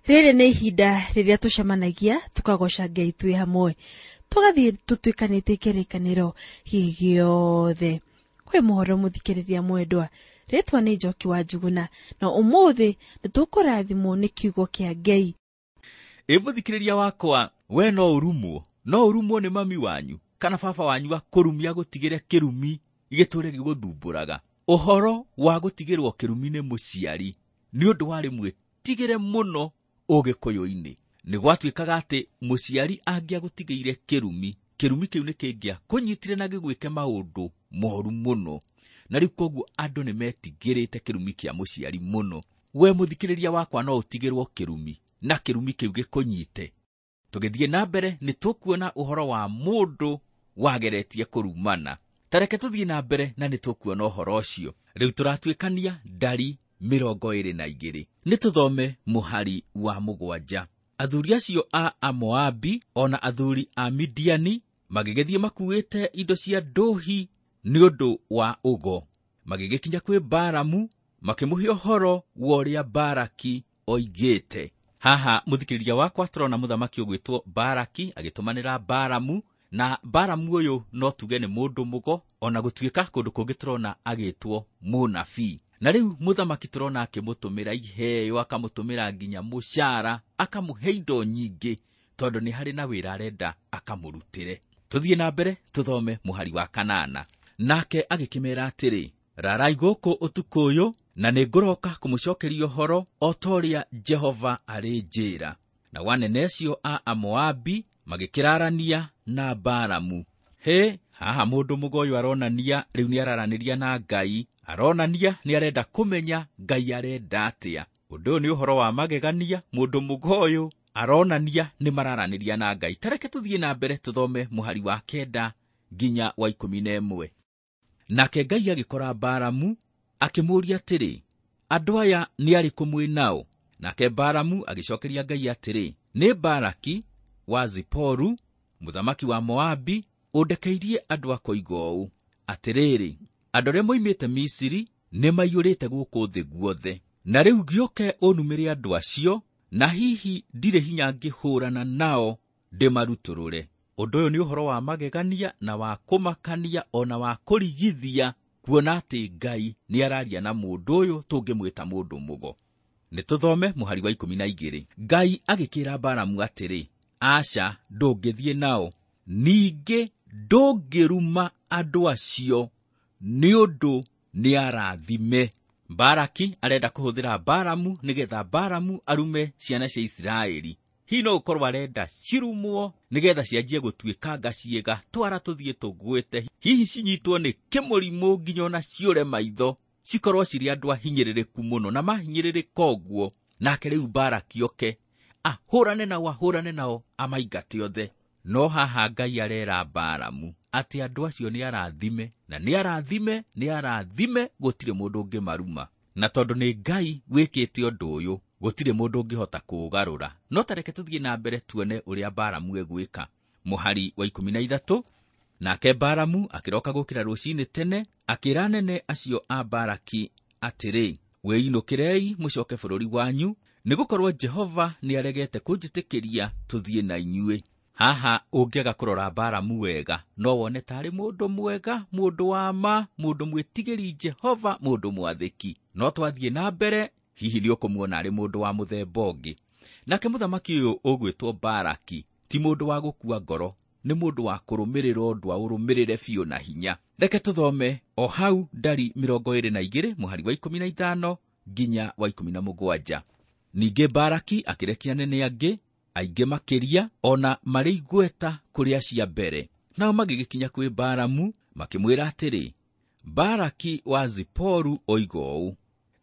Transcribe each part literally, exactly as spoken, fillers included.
Rĩrĩ nĩ ihinda rĩrĩa tũcemanagia tũkagoca Ngai twĩ hamwe, tũgathiĩ tũtuĩkanĩtie kĩrĩkanĩro gĩothe. Kwĩ mũhoro mũthikĩrĩria mwendwa, rĩtwa nĩ Njoki wa Njuguna, na ũmũthĩ nĩtũkũrathimwo nĩ kiugo kĩa Ngai. Ĩ mũthikĩrĩria wakwa, we no ũrumwo, no ũrumwo nĩ mami wanyu kana baba wanyu akũrumia gũtigĩre kĩrumi gĩtũre gĩgũthumbũraga. Ũhoro wa gũtigĩrwo kĩrumi nĩ mũciari nĩ ũndũ warĩ mwĩtigĩre mũno ũgĩkũyũ-inĩ. Nĩ gwatuĩkaga atĩ mũciari angĩagũtigĩire kĩrumi, kĩrumi kĩu nĩ kĩngĩakũnyitire na gĩgwĩke maũndũ moru mũno. Na rĩu koguo andũ nĩ metigĩrĩte kĩrumi kĩa mũciari mũno. We mũthikĩrĩria wakwa no ũtigĩrwo kĩrumi na kĩrumi kĩu gĩkũnyite. Tũgĩthiĩ na mbere nĩ tũkuona ũhoro wa mũndũ wageretie kũrumana. Ta reke tũthiĩ na mbere na nĩ tũkuona ũhoro ũcio. Rĩu tũratuĩkania ndari mĩrongo ĩrĩ na igĩrĩ. Nĩ tũthome mũhari wa mũgwanja. Athuri acio a Amoabi ona athuri a Midiani magĩgĩthiĩ makuĩte indo cia ndũhi nĩ ũndũ wa ũgo. Magĩgĩkinya kwĩ Balamu makĩmũhe ũhoro wa ũrĩa Balaki oigĩte. Haha mũthikĩrĩria wakwa tũrona mũthamaki ũgwĩtwo Balaki agĩtũmanĩra Balamu, na Balamu ũyũ no tuge nĩ mũndũ mũgo, ona gũtuĩka kũndũ kũngĩ tũrona agĩtwo mũnabii. Na rĩu mũthamaki tũrona akĩmũtũmĩra iheo, akamũtũmĩra nginya mũcara, akamũhe indo nyingĩ tondũ nĩ harĩ na wĩra arenda akamũrutĩre. Tũthiĩ na mbere tũthome mũhari wa kanana. Nake agĩkĩmera atĩrĩ, rarai gũkũ ũtukũ ũyũ, na nĩngũroka kũmũcokeria ũhoro o ta ũrĩa Jehova arĩnjĩra. Nao anene acio a Amoabi magĩkĩrarania na Balamu. He, haha mũndũ mũgo ũyũ aronania rĩu nĩararanĩria na Ngai, aronania nĩarenda kũmenya Ngai arenda atĩa. Ũndũ ũyũ nĩ ũhoro wa magegania, mũndũ mũgo ũyũ aronania nĩ mararanĩria na Ngai. Ta reke tũthiĩ na mbere tũthome mũhari wa kenda nginya wa ikũmi na ĩmwe. Nake Ngai agĩkora Balamu akĩmũũria atĩrĩ, andũ aya nĩ arĩkũ mwĩ nao? Nake Balamu agĩcokeria Ngai atĩrĩ, nĩ Balaki wa Ziporu mũthamaki wa Moabi ũndekeirie andũ akoiga ũũ, atĩrĩrĩ, andũ arĩa moimĩte Misiri nĩ maiyũrĩte gũkũ thĩ guothe, na rĩu gĩũke ũnumĩre andũ acio, na hihi ndirĩ hinya ngĩhũrana nao ndĩmarutũrũre. Ũndũ ũyũ nĩ ũhoro wa magegania na wa kũmakania ona wa kũrigithia, kuona atĩ Ngai nĩ araria na mũndũ ũyũ tũngĩmwĩta mũndũ mũgo. Nĩ tũthome mũhari wa ikũmi na igĩrĩ. Ngai agĩkĩra Balamu atĩrĩ, aca, ndũngĩthiĩ nao, ningĩ ndũngĩruma andũ acio nĩ ũndũ nĩ arathime. Balaki arenda kũhũthĩra Balamu nĩgetha Balamu arume ciana cia Isiraeli. Hihi no gũkorwo arenda cirumwo nĩgetha cianjie gũtuĩkanga ciĩga, twara tũthiĩ tũgwĩte, hihi cinyitwo nĩ kĩmũrimũ nginya ona ciũre maitho, cikorwo cirĩ andũ ahinyĩrĩrĩku mũno, na mahinyĩrĩrĩka ũguo. Nake rĩu Balaki oke ahũrane nao, ahũrane nao, amaingate othe. No haha Ngai arera Balamu atĩ andũ acio nĩ arathime, na nĩ arathime, nĩ arathime, gũtirĩ mũndũ ũngĩmaruma. Na tondũ nĩ Ngai wĩkĩte ũndũ ũyũ, gũtirĩ mũndũ ũngĩhota kũũgarũra. No ta reke tũthiĩ na mbere tuone ũrĩa Balamu egwĩka. Mũhari wa ikũmi na ithatũ. Nake Balamu akĩroka gũkĩra rũcinĩ tene, akĩra anene acio a Balaki atĩrĩ, wĩinũkĩrei mũcoke bũrũri wanyu, nĩgũkorwo Jehova nĩaregete kũnjĩtĩkĩria tũthiĩ na inyuĩ. Haha ũngĩaga kũrora Balamu wega, no wone tarĩ mũndũ mwega, mũndũ wa ma, mũndũ mwĩtigĩri Jehova, mũndũ mwathĩki. No twathiĩ na mbere, hihi nĩ ũkũmuona arĩ mũndũ wa mũthemba ũngĩ. Nake mũthamaki ũyũ ũgwĩtwo Balaki ti mũndũ wa gũkua ngoro, nĩ mũndũ wa kũrũmĩrĩra ũndũ aũrũmĩrĩre biũ na hinya. Reke tũthome o hau ndari mĩrongo ĩrĩ na igĩrĩ mũhari wa ikũmi na ithano nginya wa ikũmi na mũgwanja. Ningĩ Balaki akĩrekia anene angĩ aingĩ makĩria, ona marĩ igweta kũrĩ acio a mbere. Nao magĩgĩkinya kwĩ Balamu makĩmwĩra atĩrĩ, Balaki wa Ziporu oiga ũũ,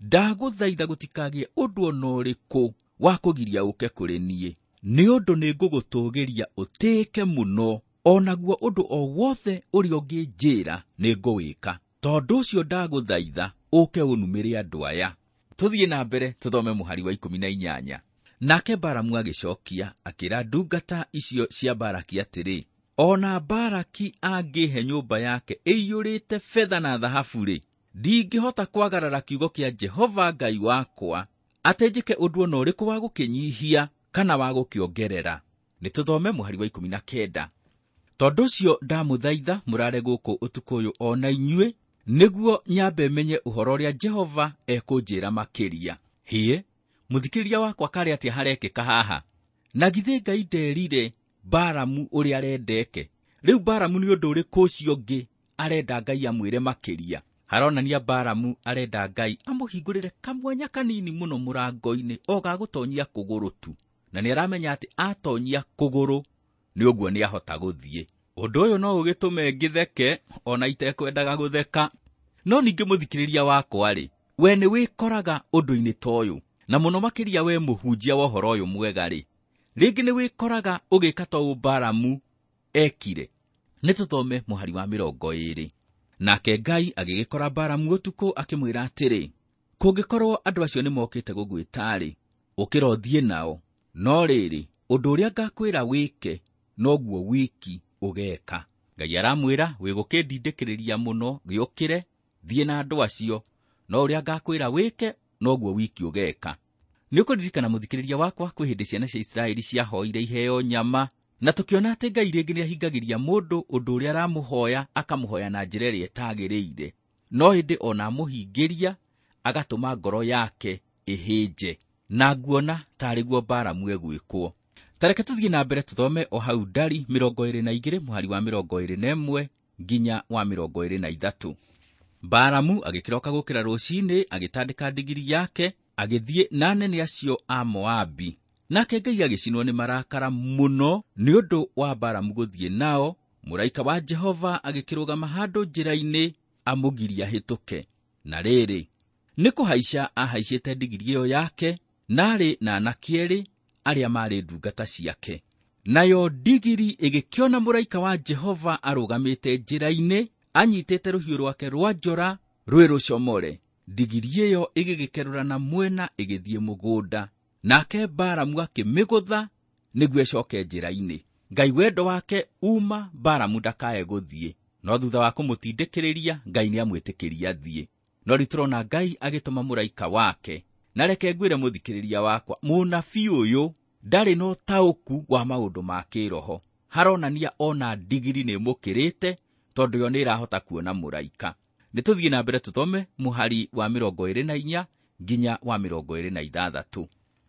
ndagũthaitha gũtikagĩe ũndũ ona ũrĩkũ wa kũgiria ũke kũrĩ niĩ, nĩ ũndũ nĩngũgũtũũgĩria ũtĩĩke mũno, onaguo ũndũ o wothe ũrĩa ũngĩnjĩra nĩngũwĩka. Tondũ ũcio ndagũthaitha ũke ũnumĩre andũ aya. Tũthiĩ na mbere tũthome mũhari wa ikũmi na inyanya. Nake Balamu agĩcokia akĩra ndungata icio cia Balaki atĩrĩ, ona Balaki angĩhe nyũmba yake ĩiyũrĩte betha na thahabu-rĩ, ndingĩhota kwagarara kiugo kĩa Jehova Ngai wakwa Atĩ njĩke ũndũ ona ũrĩkũ wa gũkĩnyihia kana wa gũkĩongerera. Nĩ tũthome mũhari wa ikũmi na kenda. Tondũ ũcio ndamũthaitha mũrare gũkũ ũtukũ ũyũ o na inyuĩ, nĩguo nyambe menye ũhoro ũrĩa Jehova ekũnjĩra makĩria. Hĩĩ, mũthikĩrĩria wakwa karĩ atĩa harekĩka haha? Na githĩ Ngai nderire Balamu ũrĩa arendeke? Rĩu Balamu nĩ ũndũ ũrĩkũ ũcio ũngĩ arenda Ngai amwĩre makĩria? Haronania Balamu arenda Ngai amũhingũrĩre kamwanya kanini mũno mũrango-inĩ o ga gũtonyia kũgũrũ tu, na nĩ aramenya atĩ atonyia kũgũrũ nĩ ũguo nĩ ahota gũthiĩ. Ũndũ ũyũ no ũgĩtũme ngĩtheke ona itekwendaga gũtheka. No ningĩ mũthikĩrĩria wakwa-rĩ, we nĩ wĩkoraga ũndũ-inĩ ta ũyũ, na mũno makĩria we mũhunjia wa ũhoro ũyũ mwega-rĩ, rĩngĩ nĩ wĩkoraga ũgĩka ta ũũ Balamu ekire. Nĩ tũthome mũhari wa mĩrongo ĩĩrĩ. Nake Ngai agĩgĩkora Balamu ũtukũ akĩmwĩra atĩrĩ, kũngĩkorwo andũ acio nĩmokĩte gũgwĩta-rĩ, ũkĩra ũthiĩ nao, no rĩrĩ, ũndũ ũrĩa ngakwĩra wĩke noguo wiki ũgeka. Ngai aramwĩra wĩgũkĩndindĩkĩrĩria mũno, gĩũkĩre, thiĩ na andũ acio, no ũrĩa ngakwĩra wĩke noguo wiki ũgeka. Nĩ ũkũririkana mũthikĩrĩria wakwa kwĩ hĩndĩ ciana cia Isiraeli ciahoire iheo nyama, na tũkĩona atĩ Ngai rĩngĩ nĩahingagĩria mũndũ ũndũ ũrĩa aramũhoya, akamũhoya na njĩra ĩrĩa ĩtagĩrĩire, no ĩndĩ ona amũhingĩria agatũma ngoro yake ĩhĩnje, na nguona tarĩ guo Balamu egwĩkwo. Ta reke tũthiĩ na mbere tũthome o hau Ndari mĩrongo ĩĩrĩ na igĩrĩ mũhari wa mĩrongo ĩĩrĩ na ĩmwe nginya wa mĩrongo ĩĩrĩ na ithatũ. Balamu agĩkĩroka gũkĩra rũcinĩ, agĩtandĩka ndigiri yake, agĩthiĩ na anene acio a Moabi. Nake Ngai agĩcinwo nĩ marakara mũno nĩ ũndũ wa Balamu gũthiĩ nao. Mũraika wa Jehova agĩkĩrũgama handũ njĩra-inĩ amũgiria ahĩtũke. Na rĩrĩ, nĩ kũhaica ahaicĩte ndigiri ĩyo yake, narĩ na anake erĩ arĩa maarĩ ndungata ciake. Nayo ndigiri ĩgĩkĩona mũraika wa Jehova arũgamĩte njĩra-inĩ, anyitĩte rũhiũ rwake rwa njora rwĩ rũcomore. Ndigiri ĩyo ĩgĩgĩkerũra na mwena ĩgĩthiĩ mũgũnda. Nake Balamu akĩmĩgũtha nĩguo ĩcoke njĩra-inĩ. Ngai wendo wake uma Balamu ndakae gũthiĩ, no thutha wa kũmũtindĩkĩrĩria Ngai nĩamwĩtĩkĩria athiĩ. No rĩu tũrona Ngai agĩtũma mũraika wake. Na reke ngwĩre mũthikĩrĩria wakwa, mũnabii ũyũ ndarĩ na ũtaũku wa maũndũ ma kĩroho. Haronania ona ndigiri nĩĩmũkĩrĩte, tondũ yo nĩĩrahota kuona mũraika. Nĩ tũthiĩ na mbere tũthome mũhari wa mĩrongo ĩĩrĩ na inya nginya wa mĩrongo ĩĩrĩ na ithathatũ.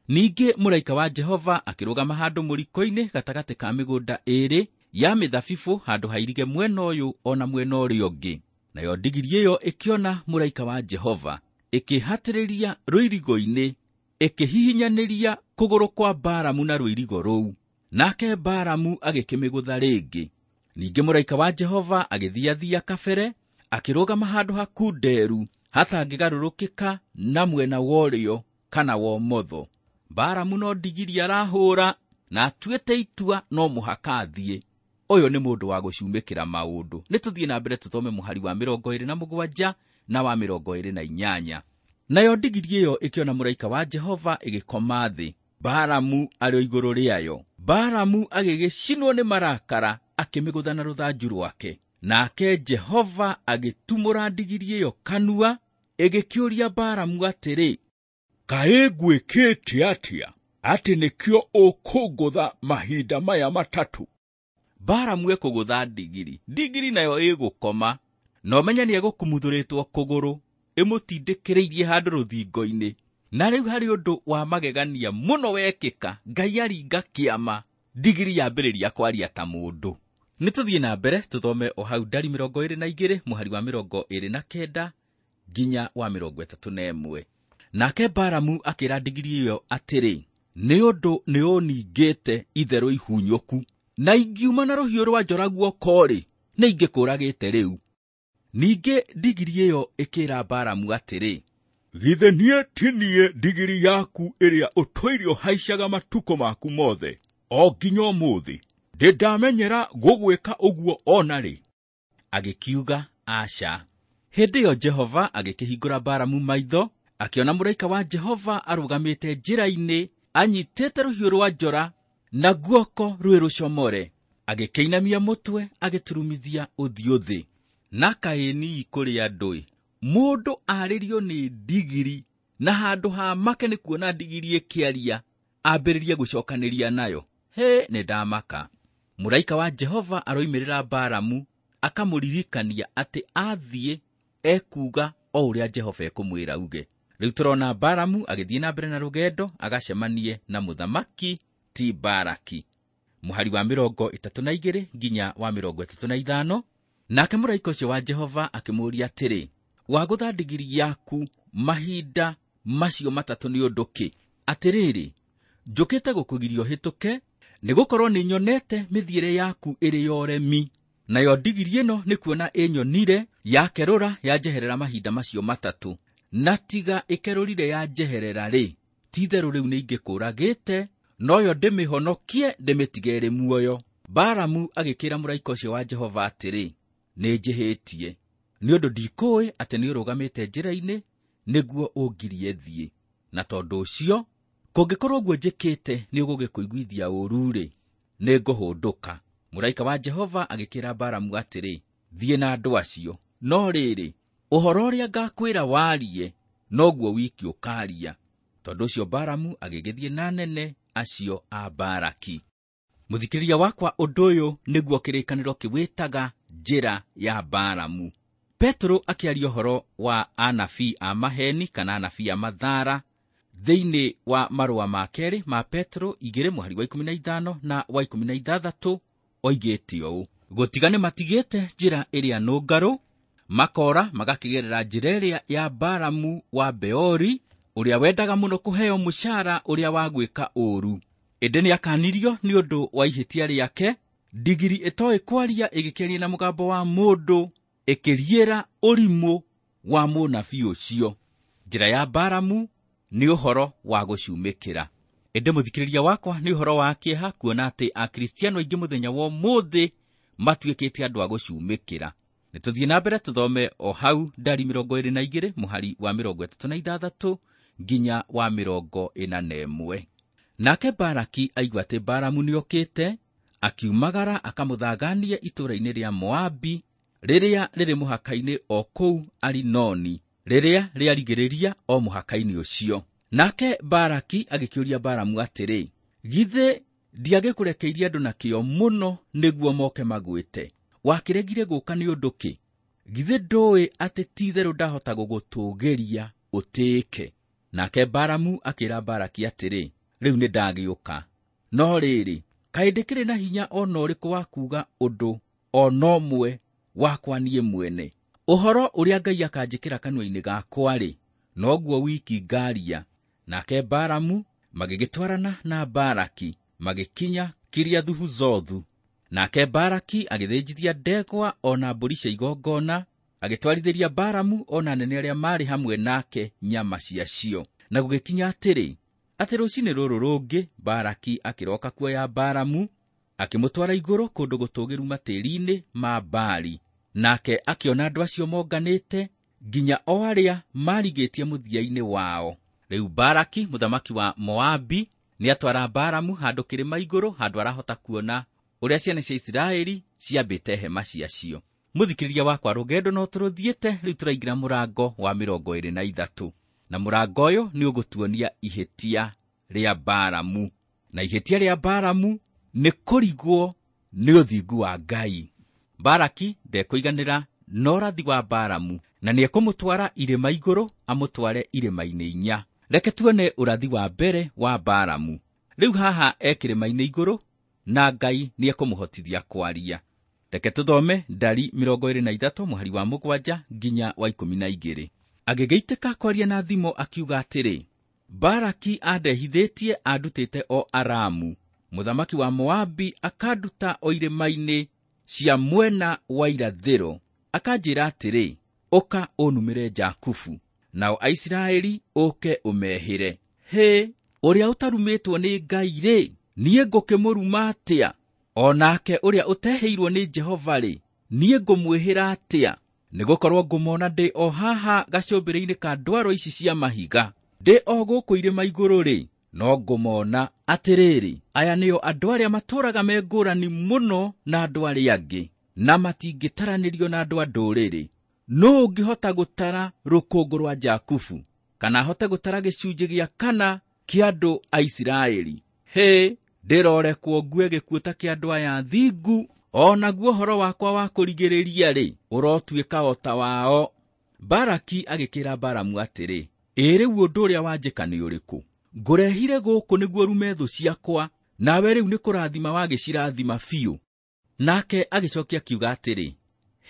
Ningĩ mũraika wa Jehova akĩrũgama handũ mũriko-inĩ gatagatĩ ka mĩgũnda ĩĩrĩ ya mĩthabibũ, handũ hairige mwena ũyũ ona mwena ũrĩa ũngĩ. Nayo ndigiri ĩyo ĩkĩona mũraika wa Jehova, ĩkĩhatĩrĩria rũirigo-inĩ, ĩkĩhihinyanĩria kũgũrũ kwa Balamu na rũirigo rũu. Nake Balamu agĩkĩmĩgũtha rĩngĩ. Ningĩ mũraika wa Jehova agĩthiathia kabere, akĩrũgama handũ hakunderu hatangĩgarũrũkĩka na mwena wa ũrĩo kana wa ũmotho. Balamu no ndigiri arahũra, na atuĩte itua no mũhaka athiĩ. Ũyũ nĩ mũndũ wa gũcumĩkĩra maũndũ. Nĩ tũthiĩ na mbere tũthome mũhari wa mĩrongo ĩĩrĩ na mũgwanja na wa mĩrongo ĩĩrĩ na inyanya. Nayo ndigiri ĩyo ĩkĩona mũraika wa Jehova ĩgĩkoma thĩ, Balamu arĩ o igũrũ rĩayo. Balamu agĩgĩcinwo nĩ marakara, akĩmĩgũtha na rũthanju rwake. Nake Jehova agĩtumũra ndigiri ĩyo kanua, ĩgĩkĩũria Balamu atĩrĩ, kaĩ ngwĩkĩte atĩa atĩ nĩkĩo ũkũngũtha mahinda maya matatũ? Balamu ekũgũtha ndigiri, ndigiri nayo ĩgũkoma, na ũmenye nĩegũkumuthũrĩtwo kũgũrũ, ĩmũtindĩkĩrĩirie handũ rũthingo-inĩ. Na rĩu harĩ ũndũ wa magegania mũno wekĩka, Ngai aringa kĩama, ndigiri yambĩrĩria kwaria ta mũndũ. Nĩ tũthiĩ na mbere tũthome o hau Ndari mĩrongo ĩĩrĩ na igĩrĩ mũhari wa mĩrongo ĩĩrĩ na kenda nginya wa mĩrongo ĩtatũ na ĩmwe. Nake Balamu akĩra ndigiri ĩyo atĩrĩ, nĩ ũndũ nĩũningĩte itherũ ihunyũku, na ingiuma na rũhiũ rwa njora guoko-rĩ, nĩ ingĩkũragĩte rĩu. Ningĩ ndigiri ĩyo ĩkĩra Balamu atĩrĩ, githĩ niĩ ti niĩ ndigiri yaku ĩrĩa ũtũire ũhaicaga matukũ maku mothe o nginya ũmũthĩ? Ndĩ ndamenyera gũgwĩka ũguo ona rĩ? Agĩkiuga aca. Hĩndĩ ĩyo Jehova agĩkĩhingũra Balamu maitho, akĩona mũraika wa Jehova arũgamĩte njĩra-inĩ anyitĩte rũhiũ rwa njora na guoko rwĩ rũcomore. Agĩkĩinamia mũtwe agĩturumithia ũthiũ thĩ. Na kaĩ nii kũrĩ andũ-ĩ, mũndũ arĩrio nĩ ndigiri Na handũ ha make nĩ kuona ndigiri ĩkĩaria, ambĩrĩrie gũcokanĩria nayo. He, nĩ ndamaka. Mũraika wa Jehova aroimĩrĩra Balamu akamũririkania atĩ athiĩ ekuuga o ũrĩa Jehova ekũmwĩra uge. Rĩu tũrona Balamu agĩthiĩ na mbere na rũgendo agacemanie na mũthamaki ti Baraki. Mũhari wa mĩrongo ĩtatũ na igĩrĩ nginya wa mĩrongo ĩtatũ na ithano. Nake mũraika ũcio wa Jehova akĩmũũria atĩrĩ, wagũtha ndigiri yaku mahinda macio matatũ nĩ ũndũ kĩ? Atĩrĩrĩ, njũkĩte gũkũgiria ũhĩtũke, nĩgũkorwo nĩnyonete mĩthiĩre yaku ĩrĩ ya ũremi. Nayo ndigiri ĩno nĩ kuona ĩnyonire yakerũra yanjeherera mahinda macio matatũ. Na tiga ĩkerũrire yanjeherera rĩ, ti-itherũ rĩu nĩingĩkũũragĩte, noyo ndĩmĩhonokie ndĩmĩtige ĩrĩ muoyo. Balamu agĩkĩra mũraika ũcio wa Jehova atĩrĩ, nĩnjĩhĩtie, nĩ ũndũ ndikũĩ atĩ nĩũrũgamĩte njĩra-inĩ nĩguo ũngirie thiĩ. Na tondũ ũcio, kũngĩkorwo ũguo njĩkĩte nĩũgũgĩkũiguithia ũũru-rĩ, nĩngũhũndũka. Mũraika wa Jehova agĩkĩra Balamu atĩrĩ, thiĩ na andũ acio, no rĩrĩ, ũhoro ũrĩa ngakwĩra warie, noguo wiki ũkaaria. Tondũ ũcio Balamu agĩgĩthiĩ na anene acio a Baraki. Mũthikĩrĩria wakwa, ũndũ ũyũ nĩguo kĩrĩkanĩro kĩwĩtaga njĩra ya Balamu. Petero akĩaria ũhoro wa anabii a maheni kana anabii a mathara thĩinĩ wa marũa ma kerĩ ma Petero igĩrĩ mũhari wa ikũmi na ithano na wa ikũmi na ithathatũ oigĩte ũũ: gũtiga nĩ matigĩte njĩra ĩrĩa nũngarũ, makora magakĩgerera njĩra ĩrĩa ya Balamu wa Beori, ũrĩa wendaga mũno kũheo mũcara ũrĩa wa gwĩka ũũru. Ĩndĩ nĩakanirio nĩ ũndũ wa ihĩtia rĩake. Ndigiri ĩtoĩ kwaria ĩgĩkĩaria na mũgambo wa mũndũ, ĩkĩriĩra ũrimũ wa mũnabii ũcio. Njĩra ya Balamu nĩ ũhoro wa gũcumĩkĩra. Ĩndĩ mũthikĩrĩria wakwa, nĩ ũhoro wa kĩeha kuona atĩ Akristiano aingĩ mũthenya wa ũmũthĩ matuĩkĩte andũ a gũcumĩkĩra. Nĩtũthiĩ na mbere tũthome o hau ndari mĩrongo ĩrĩ na igĩrĩ mũhari wa mĩrongo ĩtatũ na ithathatũ nginya wa mĩrongo ĩna na ĩmwe. Nake Baraki aigua atĩ Balamu nĩokĩte, akiumagara akamũthaganie itũũra-inĩ rĩa Moabi rĩrĩa rĩrĩ mũhaka-inĩ o kũu Arinoni, rĩrĩa rĩarigĩrĩria o mũhaka-inĩ ũcio. Nake Baraki agĩkĩũria Balamu atĩrĩ, githĩ ndiagĩkũrekeirie andũ na kĩo mũno nĩguo moke magwĩte? Wakĩregire gũka nĩ ũndũ kĩ? Githĩ ndũĩ atĩ ti-itherũ ndahota gũgũtũũgĩria ũtĩĩke? Nake Balamu akĩra Baraki atĩrĩ, rĩu nĩndagĩũka. No rĩrĩ, kaĩ ndĩkĩrĩ na hinya o na ũrĩkũ wa kuuga ũndũ o na ũmwe wakwa niĩ mwene? Ũhoro ũrĩa Ngai akanjĩkĩra kanua-inĩ gakwa-rĩ, noguo wiki ngaaria. Nake Balamu magĩgĩtwarana na Baraki magĩkinya Kiriathu-Huzothu. Nake Baraki agĩthĩnjithia ndegwa o na mbũri cia igongona, agĩtwarithĩria Balamu o na anene arĩa maarĩ hamwe nake nyama ciacio. Na gũgĩkinya atĩrĩ, atĩ rũcinĩ rũrũ rũngĩ Baraki akĩroka kuoya Balamu, akĩmũtwara igũrũ kũndũ gũtũũgĩru matĩri-inĩ ma Baali. Nake akĩona andũ acio monganĩte nginya o arĩa marigĩtie mũthia-inĩ wao. Rĩu Baraki mũthamaki wa Moabi nĩatwara Balamu handũ kĩrĩma igũrũ, handũ arahota kuona ũrĩa ciana cia Isiraeli ciambĩte hema ciacio. Mũthikĩrĩria wakwa, rũgendo no tũrũthiĩte, rĩu tũraingĩra mũrango wa mĩrongo ĩrĩ na ithatũ. Na mũrango ũyũ nĩ ũgũtuonia ihĩtia rĩa Balamu. Na ihĩtia rĩa Balamu nĩ kũrigwo nĩ ũthingu wa Ngai. Baraki ndekũiganĩra na ũrathi wa Balamu, na nĩekũmũtwara irĩma igũrũ, amũtware irĩma-inĩ inya. Reke tuone ũrathi wa mbere wa Balamu. Rĩu haha e kĩrĩma-inĩ igũrũ, na Ngai nĩekũmũhotithia kwaria. Reke tũthome ndari mĩrongo ĩrĩ na ithatũ mũhari wa mũgwanja nginya wa ikũmi na igĩrĩ. Agĩgĩitĩka kwaria na thimo akiuga atĩrĩ, Baraki andehithĩtie andutĩte o Aramu, mũthamaki wa Moabi akanduta o irĩma-inĩ cia mwena wa irathĩro, akanjĩra atĩrĩ, ũka ũnumĩre Jakubu, nao Aisiraeli ũke ũmehĩre. Hĩ, ũrĩa ũtarumĩtwo nĩ Ngai rĩ, niĩ ngũkĩmũruma atĩa? O nake ũrĩa ũtehĩirwo nĩ Jehova rĩ, niĩ ngũmwĩhĩra atĩa? Nĩgũkorwo ngũmona ndĩ o haha gacũmbĩrĩ-inĩ ka ndwaro ici cia mahiga, ndĩ o gũkũ irĩma igũrũ rĩ, no ngũmona atĩrĩrĩ, aya nĩo andũ arĩa matũũraga me ngũrani mũno na andũ arĩa angĩ, na matingĩtaranĩrio na andũ a ndũrĩrĩ. Nũũ ũngĩhota gũtara rũkũngũ rwa Jakubu? kana hote gũtara gĩcunjĩ gĩa kana kĩa andũ a Isiraeli. Hĩ, ndĩrorekwo ngue gĩkuũ ta kĩa andũ aya athingu, o naguo ũhoro wakwa wa kũrigĩrĩria-rĩ, ũrotuĩka o ta wao. Baraki agĩkĩra Balamu atĩrĩ, ĩ rĩu ũndũ ũrĩa wanjĩka nĩ ũrĩkũ? Ngũrehire gũkũ nĩguo rume thũ ciakwa, nawe rĩu nĩ kũrathima wagĩcirathima biũ. Nake agĩcokia akiuga atĩrĩ,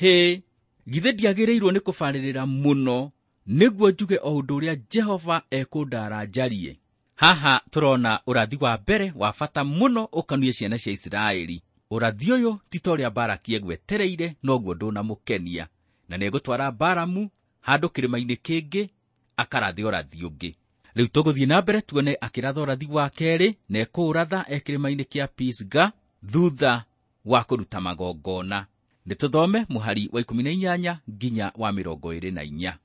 hĩ, githĩ ndiagĩrĩirwo nĩ kũbarĩrĩra mũno nĩguo njuge o ũndũ ũrĩa Jehova ekũndaara njarie? Haha tũrona ũrathi wa mbere wa bata mũno ũkanuie ciana cia Isiraeli. Ũrathi ũyũ ti ta ũrĩa Baraki egwetereire, noguo ndũnamũkenia, na nĩegũtwara Balamu handũ kĩrĩma-inĩ kĩngĩ akarathe ũrathi ũngĩ. Rĩu tũgũthiĩ na mbere tuone akĩratha ũrathi wa kerĩ, na ekũũratha e kĩrĩma-inĩ kĩa Pisga thutha wa kũruta magongona. Nĩ tũthome mũhari wa ikũmi na inyanya nginya wa mĩrongo ĩrĩ na inya.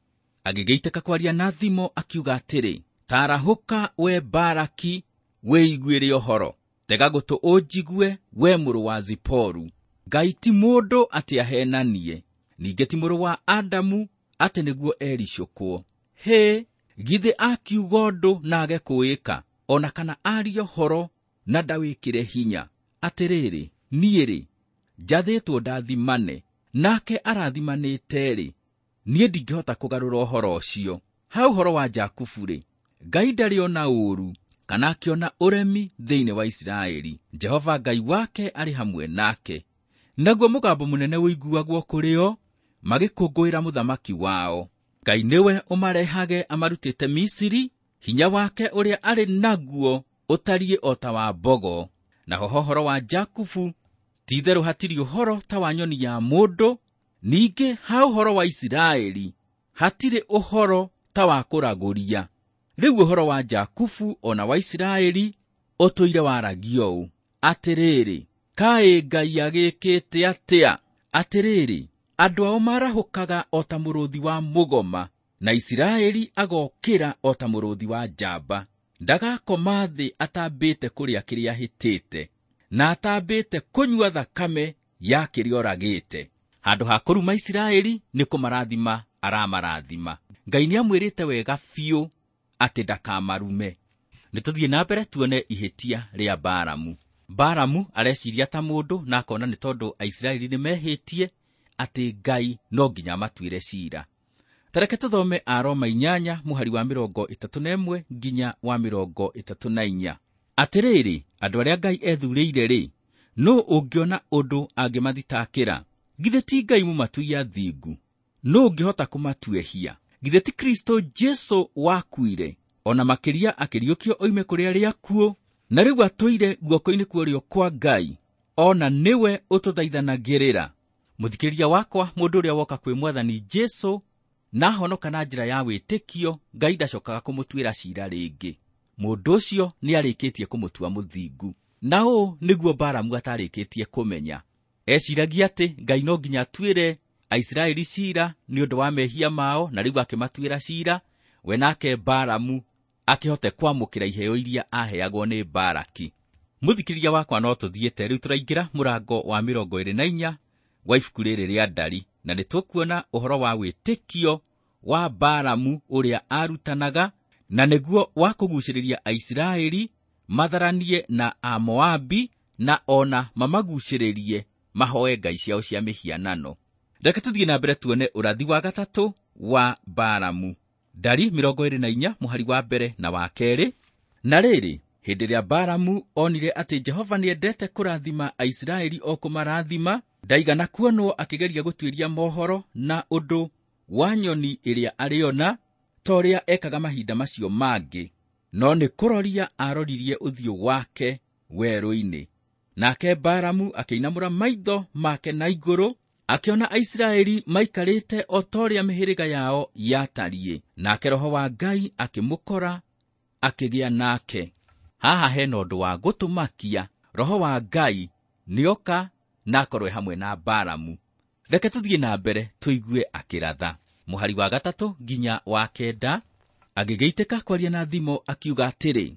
Agĩgĩitĩka kwaria na thimo akiuga atĩrĩ, tarahũka we Baraki, wĩiguĩre ũhoro, tega gũtũ ũnjigue we mũrũ wa Ziporu. Ngai ti mũndũ atĩ ahenanie, ningĩ ti mũrũ wa Adamu atĩ nĩguo ericũkwo. Hĩ, githĩ akiuga ũndũ na age kũwĩka, ona kana arie ũhoro na ndawĩkĩre hinya? Atĩrĩrĩ, niĩ-rĩ, njathĩtwo ndathimane, nake arathimanĩte-rĩ, niĩ ndingĩhota kũgarũra ũhoro ũcio. Ha ũhoro wa Jakubu-rĩ, Ngai ndarĩ ona ũũru kana akĩona ũremi thĩinĩ wa Isiraeli. Jehova Ngai wake arĩ hamwe nake, naguo mũgambo mũnene ũiguagwo kũrĩ o magĩkũngũĩra mũthamaki wao. Ngai nĩwe ũmarehage amarutĩte Misiri, hinya wake ũrĩa arĩ naguo ũtariĩ o ta wa mbogo. Naho ũhoro wa Jakubu, ti-itherũ hatirĩ ũhoro ta wa nyoni ya mũndũ, ningĩ ha ũhoro wa Isiraeli hatirĩ ũhoro ta wa kũragũria. Rĩu ũhoro wa Jakubu ona wa Isiraeli ũtũire waragio ũũ, atĩrĩrĩ, kaĩ Ngai agĩkĩte atĩa? Atĩrĩrĩ, andũ ao marahũkaga o ta mũrũthi wa mũgoma, na Isiraeli agokĩra o ta mũrũthi wa njamba. Ndagakoma thĩ atambĩte kũrĩa kĩrĩa ahĩtĩte, na atambĩte kũnyua thakame ya kĩrĩa oragĩte. Handũ ha kũruma Isiraeli nĩ kũmarathima aramarathima. Ngai nĩamwĩrĩte wega biũ atĩ ndakamarume. Nĩ tũthiĩ na mbere tuone ihĩtia rĩa Balamu. Balamu areciria ta mũndũ na akona nĩ tondũ Aisiraeli nĩmehĩtie atĩ Ngai no nginya amatuĩre ciira. Tareke tũthome Aroma inyanya mũhari wa mĩrongo ĩtatũ na ĩmwe nginya wa mĩrongo ĩtatũ na inya. Atĩrĩrĩ, andũ arĩa Ngai ethurĩire-rĩ, nũ ũngĩona ũndũ angĩmathitakĩra? Githĩ ti Ngai mũmatui athingu? Nũ ũngĩhota kũmatuehia? Githĩ ti Kristo Jesu wakuire, ona makĩria akĩriũkio oime kũrĩ arĩa akuũ, na rĩu atũire guoko-inĩ kwa ũrĩo kwa Ngai, ona nĩwe ũtũthaithanagĩrĩra? Mũthikĩrĩria wakwa, mũndũ ũrĩa woka kwĩ Mwathani Jesu na ahonoka na njĩra ya wĩtĩkio, Ngai ndacokaga kũmũtuĩra ciira rĩngĩ. Mũndũ ũcio nĩarĩkĩtie kũmũtua mũthingu. Na ũũ nĩguo Balamu atarĩkĩtie kũmenya. Eciragia atĩ Ngai no nginya atuĩre Aisiraeli ciira nĩ ũndũ wa mehia mao, na rĩu akĩmatuĩra ciira, we nake Balamu akĩhote kwamũkĩra iheo iria aheagwo nĩ Baraki. Mũthikĩrĩria wakwa, no tũthiĩte rĩu tũraingĩra mũrango wa mĩrongo ĩrĩ na inya wa ibuku rĩrĩ rĩa Ndari, na nĩtũkuona ũhoro wa wĩtĩkio wa Balamu ũrĩa arutanaga, na nĩguo wa kũgucĩrĩria Aisiraeli matharanie na Amoabi, na ona mamagucĩrĩrie mahoe ngai ciao cia mĩhianano. Reke tũthiĩ na mbere tuone ũrathi wa gatatũ wa Balamu. Ndari mĩrongo ĩrĩ na inya mũhari wa mbere na wa kerĩ. Na rĩrĩ, hĩndĩ ĩrĩa Balamu onire atĩ Jehova nĩendete kũrathima Aisiraeli o kũmarathima, ndaigana kuonwo akĩgeria gũtuĩria mohoro na ũndũ wa nyoni ĩrĩa arĩona, ta ũrĩa ekaga mahinda macio mangĩ, no nĩ kũroria aroririe ũthiũ wake werũ-inĩ. Nake Balamu akĩinamũra maitho make na igũrũ, akĩona Aisiraeli maikarĩte o ta ũrĩa mĩhĩrĩga yao yatariĩ. Nake Roho wa Ngai akĩmũkora, akĩgĩa nake. Haha hena ũndũ wa gũtũmakia. Roho wa Ngai nĩoka na akorwe hamwe na Balamu. Reke tũthiĩ na mbere tũigue akĩratha. Mũhari wa gatatũ nginya wa kenda, agĩgĩitĩka kwaria na thimo akiuga atĩrĩ,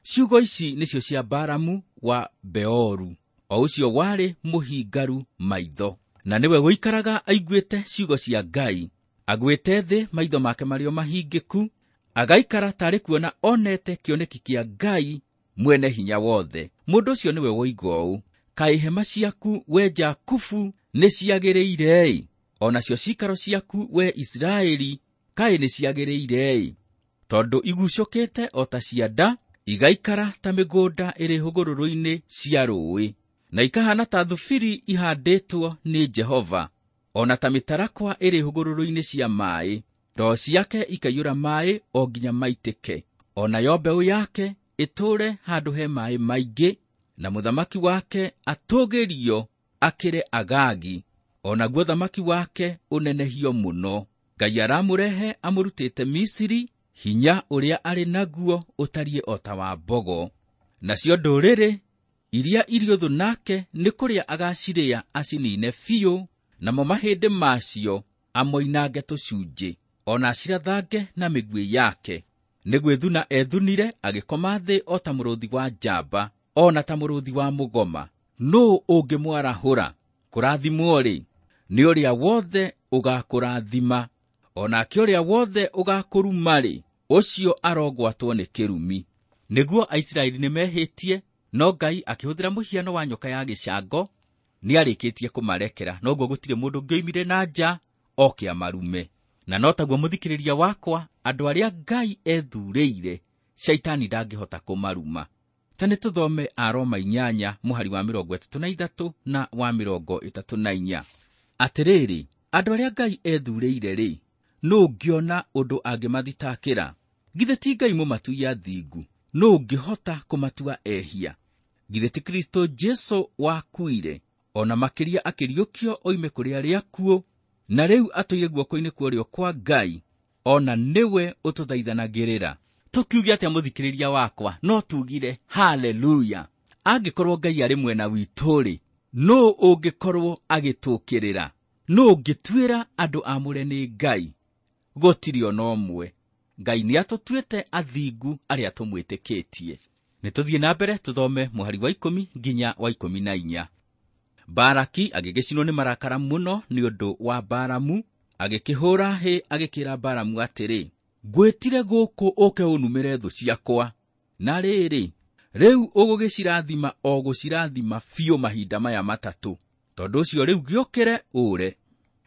ciugo ici nĩcio cia Balamu wa Beoru, o ũcio warĩ mũhingaru maitho, na nĩwe ũikaraga aiguĩte ciugo cia Ngai. Agwĩte thĩ maitho make marĩ o mahingĩku, Agaikara tarĩ kuona onete kĩoneki kĩa Ngai mwene hinya wothe. Mũndũ ũcio nĩwe woiga ũũ, kaĩ hema ciaku we Jakubu nĩ ciagĩrĩire-ĩ, o nacio ciikaro ciaku we Isiraeli kaĩ nĩ ciagĩrĩire-ĩ, tondũ igucũkĩte o ta cianda, igaikara ta mĩgũnda ĩrĩ hũgũrũrũ-inĩ cia rũũĩ, na ikahana ta thubiri ihandĩtwo nĩ Jehova, o na ta mĩtarakwa ĩrĩ hũgũrũrũ-inĩ cia maaĩ. Ndoo ciake ikaiyũra maaĩ o nginya maitĩke, o nayo mbeũ yake ĩtũũre handũ he maaĩ maingĩ, na mũthamaki wake atũũgĩrio akĩre Agagi, o naguo thamaki wake ũnenehio mũno. Ngai aramũrehe amũrutĩte Misiri, hinya ũrĩa arĩ naguo ũtariĩ o ta wa mbogo. Nacio ndũrĩrĩ iria irĩ ũthũ nake nĩ kũrĩa agacirĩa acinine biũ, namo mahĩndĩ macio amoinange tũcunjĩ, o na acirathange na mĩguĩ yake. Nĩ gwĩthuna ethunire agĩkoma thĩ o ta mũrũthi wa njamba, o na ta mũrũthi wa mũgoma. Nũũ ũngĩmwarahũra? Kũrathimwo-rĩ, nĩ ũrĩa wothe ũgakũrathima, o nake ũrĩa wothe ũgakũruma-rĩ, ũcio arogwatwo nĩ kĩrumi. Nĩguo Aisiraeli nĩmehĩtie, no Ngai akĩhũthĩra mũhiano wa nyoka ya gĩcango nĩarĩkĩtie kũmarekera, noguo gũtirĩ mũndũ ũngĩoimire na nja oke amarume. Na no taguo mũthikĩrĩria wakwa, andũ arĩa Ngai ethurĩire, Shaitani ndangĩhota kũmaruma. Ta nĩ tũthome Aroma inyanya mũhari wa mĩrongo ĩtatũ na ithatũ na wa mĩrongo ĩtatũ na inya. Atĩrĩrĩ, andũ arĩa Ngai ethurĩire-rĩ, nũ ũngĩona ũndũ angĩmathitakĩra? Githĩ ti Ngai mũmatui athingu? Nũ ũngĩhota kũmatua ehia? Githĩ ti Kristo Jesu wakuire, o na makĩria akĩriũkio oime kũrĩ arĩa akuũ, na rĩu atũire guoko-inĩ kwa ũrĩo kwa Ngai, o na nĩwe ũtũthaithanagĩrĩra. Tũkiuge atĩa mũthikĩrĩria wakwa? No tugire haleluya. Angĩkorwo Ngai arĩ mwena witũ-rĩ, nũ ũngĩkorwo agĩtũũkĩrĩra? Nũ ũngĩtuĩra andũ aamũre nĩ Ngai? Gũtirĩ ona ũmwe. Ngai nĩatũtuĩte athingu arĩa tũmwĩtĩkĩtie. Nĩ tũthiĩ na mbere tũthome mũhari wa ikũmi nginya wa ikũmi na inya. Baraki agĩgĩcinwo nĩ marakara mũno nĩ ũndũ wa Balamu, agĩkĩhũũra hĩ agĩkĩra Balamu atĩrĩ, ngwĩtire gũkũ ũke ũnumĩre thũ ciakwa, na rĩrĩ, rĩu ũgũgĩcirathima o gũcirathima biũ mahinda maya matatũ. Tondũ ũcio rĩu gĩũkĩre ũre.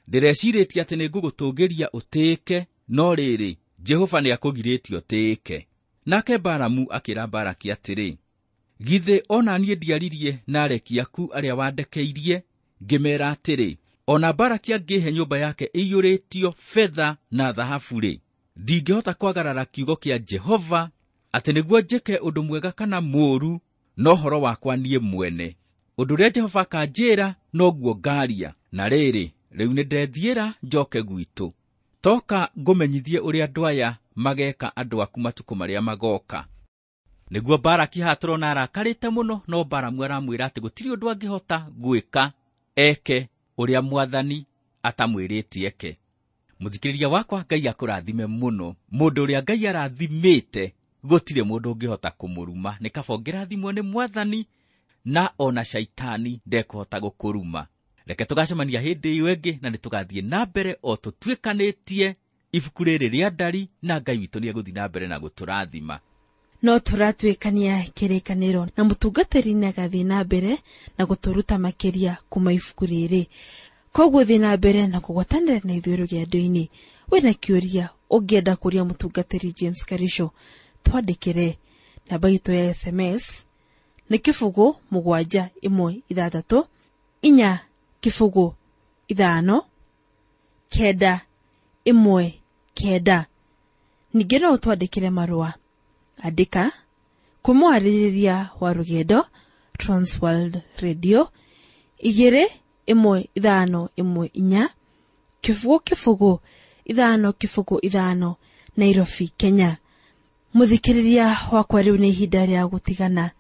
Ndĩrecirĩtie atĩ nĩngũgũtũũgĩria ũtĩĩke, no rĩrĩ, Jehova nĩakũgirĩtie ũtĩĩke. Nake Balamu akĩra Baraki atĩrĩ, githĩ o na niĩ ndiaririe na areki aku arĩa wandekeirie, ngĩmeera atĩrĩ, o na Baraki angĩhe nyũmba yake ĩiyũrĩtio betha na thahabu-rĩ, ndingĩhota kwagarara kiugo kĩa Jehova atĩ nĩguo njĩke ũndũ mwega kana mũũru, no ũhoro wakwa niĩ mwene. Ũndũ ũrĩa Jehova akanjĩra noguo ngaaria. Na rĩrĩ, rĩu nĩndethiĩra njoke gwitũ. Toka ngũmenyithie ũrĩa andũ aya mageeka andũ aku matukũ marĩa magoka. Nĩguo Baraki haha tũrona arakarĩte mũno, no Balamu aramwĩra atĩ gũtirĩ ũndũ angĩhota gwĩka eke ũrĩa mwathani atamwĩrĩte eke. Mũthikĩrĩria wakwa, Ngai akũrathime mũno. Mũndũ ũrĩa Ngai arathimĩte gũtirĩ mũndũ ũngĩhota kũmũruma. Nĩ kaba ũngĩrathimwo nĩ mwathani, na ona Shaitani ndekũhota gũkũruma. Reke tũgacemania hĩndĩ ĩyo ĩngĩ, na nĩtũgathiĩ na mbere o tũtuĩkanĩtie ibuku rĩrĩ rĩa Ndari, na Ngai witũ nĩegũthiĩ na mbere na gũtũrathima. No tũratuĩkania kĩrĩkanĩro na mũtungatĩri nĩagathiĩ na mbere na gũtũruta makĩria kuma ibuku rĩrĩ. Koguo thiĩ na mbere na kũgwatanĩra na ithuĩ rũgendo-inĩ. Wĩna kĩũria ũngĩenda kũria mũtungatĩri James Karisho, twandĩkĩre. Namba itũ ya S M S nĩ kĩbũgũ mũgwanja ĩmwe ithathatũ inya kĩbũgũ ithano kenda ĩmwe kenda. Ningĩ no ũtwandĩkĩre marũa. Andĩka kwĩ mwarĩrĩria wa rũgendo Transworld Radio igĩrĩ ĩmwe ithano ĩmwe inya kĩbũgũ kĩbũgũ ithano kĩbũgũ ithano Nairobi, Kenya. Mũthikĩrĩria wakwa, rĩu nĩ ihinda rĩa gũtigana,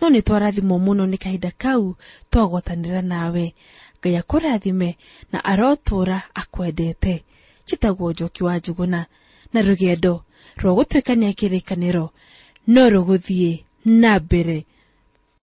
no nĩ twarathimwo mũno nĩ kahinda kau twagwatanĩra nawe. Ngai akũrathime na arotũũra akwendete. Njĩtagwo Njoki wa Njũgũna, na rũgendo rwa gũtuĩkania kĩrĩkanĩro no rũgũthiĩ na mbere.